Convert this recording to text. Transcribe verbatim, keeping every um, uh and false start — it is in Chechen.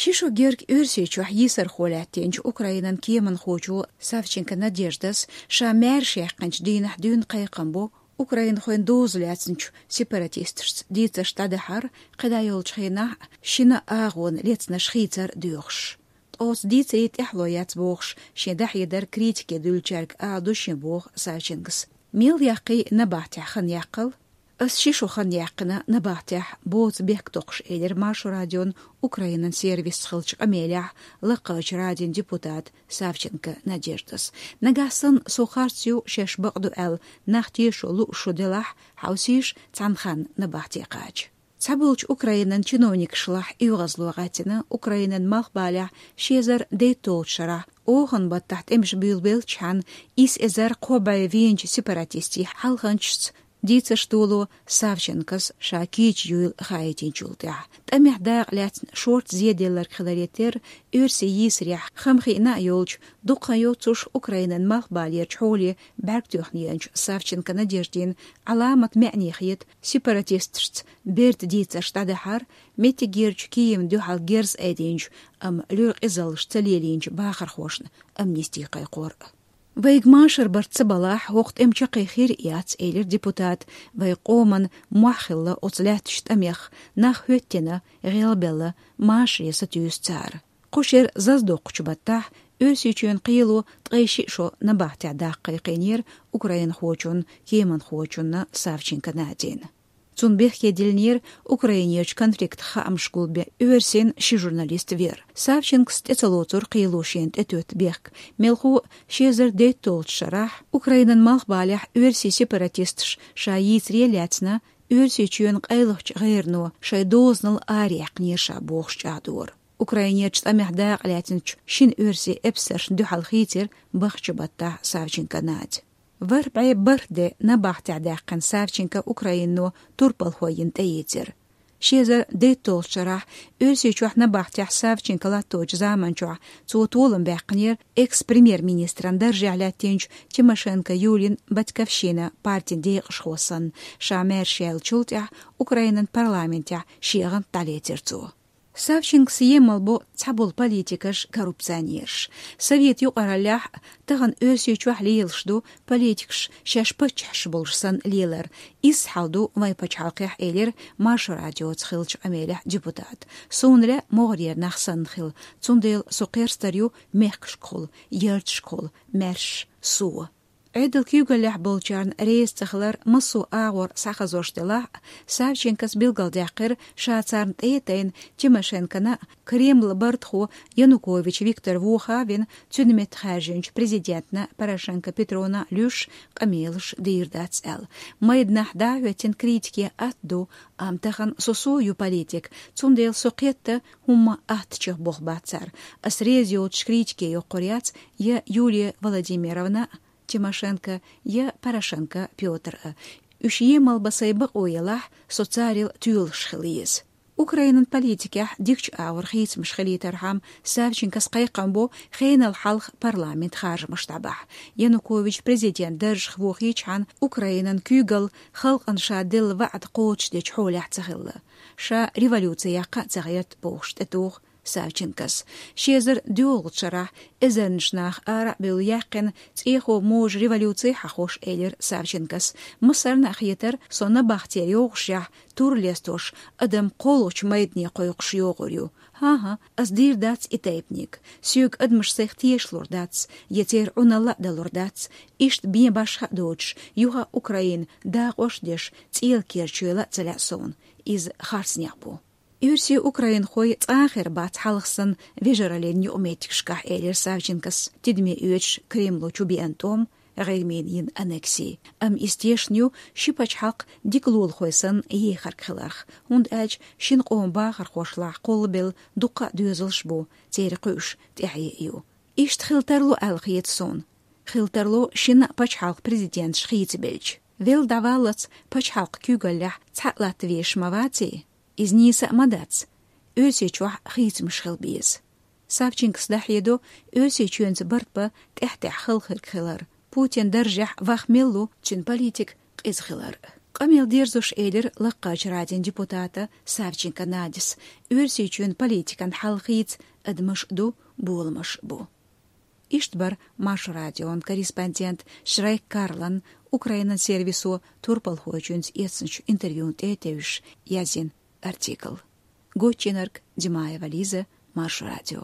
Ши шо герга Оьрсийчохь йийсархо лаьттинчу Украинан кеманхочо Савченко Надеждас ша маьрша яьккхинчу дийнахь дуьйна кхайкхам бо украинхойн доза лаьцначу сепаратисташца дийцарш дӀадахьар, кхидӀа йолчу хенахь шина агӀонан лецнаш хийцар доьхуш. Ткъа оцу дийцаре тӀаьхьало яц бохуш, шен дӀахьедар критике дуьллучаьрга ала ду шен боху Савченкос. Мел яккхий набахтехь хан яккхал? Ас ши шо хан яьккхина набахтехь боцу бехк токхуш, элира Маршо радион Украинан сервисца хиллачу къамелехь лакхарчу радин депутат Савченко Надеждас. Нагахь санна со харц ю, шаьш бакъ ду аьлла, нах тешо лууш шу делахь, хьовсийша цхьана ханна набахте кхача. Цхьаболчу Украинан чиновникашлахь оьгӀазло гӀаьттина Украинан малхбалехь ши эзар дейтталгӀачу шарахь, оханан баттахь тӀемаш буьйлабеллачхьана, исс эзар кхо бӀе вийначу сепаратистийн хьалханчашца дийцарш доло Савченкос ша кийча юйла хаийтинчул тӀаьхьа. ТӀамехь дакъа лаьцна шорта зеделларг хиларе терра, оьрсийн йийсарехь хам хиъна а йолчу, дукха хан йоццуш Украинан малхбалерчу хьоле бӀаьрг тоьхна еанчу Савченко Надеждин Ӏаламат маьӀне хета сепаратисташца берта дийцарш дӀадахьар, меттигерчу Киевна дуьхьал герз айдинчу, амма луьра къизаллаш ца лелийначу бахархошна амнисти кхайкхор. Вайга машар барт ца балахь, хӀокху тӀеман чаккхе хир а яц, элира депутата. Вайн къоман мохь хилла оцу лаьттачу тӀамех, нах хӀоьттина, гӀелбелла, машаре сатуьйсу цара. Кху шеран зазадоккхучу баттахь Оьрсийчоьнан кхело ткъе шиъ шо набахтехь даккха кхайкхийнера украинхочунна, кеманхочунна Савченко Надина. Цунна бехке диллинера Украинерчу конфликтах хаамаш гулбен оьрсийн ши журналист вер. Савченкос тӀе ца лоцура кхело шена тӀетоьтту бехк. Мелхо а ши эзар дейтталгӀачу шарахь Украинан малхбалехь оьрсийн сепаратисташ ша йийцаре а лаьцна, Оьрсийчоьнан къайлахчу гӀерано шайн дозанал араяьккхинера ша бохуш чӀагӀдора. Украинерчу тӀамехь дакъа лаьцначу шина оьрсийн эпсаршна дуьхьал хийцира бахча баттахь Савченко Надя. ВорхӀ бӀе бархӀ де набахтехь даьккхина Савченко Украинано турпалхо йина тӀеийцира. Ши эзар дейтталгӀачу шарахь Оьрсийчохь набахтехь Савченко латточу заманчохь цо толам баьккхинера экс-премьер-министран даржехь лаьттинчу Тимошенко Юлин «Батьковщина» партин декъашхо санна, ша маьрша яьллачул тӀаьхьа Украинан парламентехь шен гӀант дӀалецира цо. Савченкос емал бо цхьаболу политикаш коррупционераш. Совет юкъараллехь, тахана Оьрсийчохь лелаш ду политикаш шаьш паччахьаш болуш санна лелар. Изза хьал ду вайн пачхьалкхехь, элира Маршо радиоца хиллачу къамелехь депутата. Суна лаьа могӀарера нах санна хила, цундела со кхерстар ю мехкашкахула, ярташкахула, маьрша, со. Ӏедал куьйгаллехь болчарна реза ца хилар массо а агӀор схьахазош делахь а, Савченкос билгалдаьккхира, ша царна тӀе а тайна, Тимошенкона а, Кремлан бартахо Янукович Виктор воха а вина, цуьнан метта хаьржинчу президентна Порошенко Петрона а луьйш, къамелаш дийр дац аьлла. Майданахь дӀа а хӀоьттина, критике атта ду, амма тахана со-со ю политик, цундела со кхетта хӀумма аттачех боху бац цара. Ас реза йоцуш критике йоккхур яц я Юлия Владимировна, Тимошенко я Порошенко Пётр а. Уьш емал бан сайн бакъо елахь, со царел тоьлуш хила еза. Украинан политикехь дикачу агӀор хийцамаш хилийтархьама, Савченкос кхайкхам бо хенал хьалха парламент харжамаш дӀабахьа. Янукович президент даржах вохийчхьана, Украинан куьйгалла халкъана ша делла ваӀда кхочушдечу хьолехь ца хилла. Ша революци яккха а ца гӀерта бохуш тӀетуху Савченкос. Ши эзар доьалгӀачу шарахь эзарнаш нах ара а бевлла яьккхина цӀехо можа революци хьахош, элира Савченкос. Массарна а хетара, со набахтера йогӀушехь, тур лестош, адам кхоллачу майдане кхойкхуш йогӀур ю. ХӀан-хӀа, ас дийр дац и тайпаниг. Соьга адамаш сайх тешалур дац, я церан Ӏуналла а далур дац. Иштта бен башха а доцуш, юха а Украина дакъош а деш, цӀела керчойла а ца лаьа суна. Иза харцнех бу. Оьрсий, украинхой цкъа а хир бац хьалха санна вежараллин юкъаметтигашкахь, элира Савченкос, тидаме оьцуш Кремло чу беана тӀом, ГӀирмина йина аннекси. Амма иза тешна ю ши пачхьалкх дика лулахой санна ехарг хиларх, хӀунда аьлча шина къоман бахархошлахь кхоллабелла дуккха а доьзалш бу, церан кхуьуш тӀаьхье ю. Иштта хила тарло аьлла хета суна. Хила тарло шина а пачхьалкх президенташ хийцабелча. Велла дӀаваллалц пачхьалкх куьйгаллехь цхьаъ латта везаш ма ваций? Иза нийса а ма дац. Оьрсийчохь хийцамаш хила беза. Савченкос дӀахьедо Оьрсийчоьнца барт бан тӀаьхь-тӀаьхьа халхарг хилар, Путин даржехь ваха мел лу, цуьнан политика къиза хилар. Къамел дерзош элира Лакхарчу Радин депутата Савченко Надис, Оьрсийчоьнан политикан хьал хийца адамаш ду, боламаш бу. Иштта бара Маршо Радион корреспондент Шрайк Карлан Украинан сервисо турпалхочуьнца эцначу интервьюна тӀе а тевжаш язйина артикл. Гоччинарг Димаева Лиза, Маршо Радио.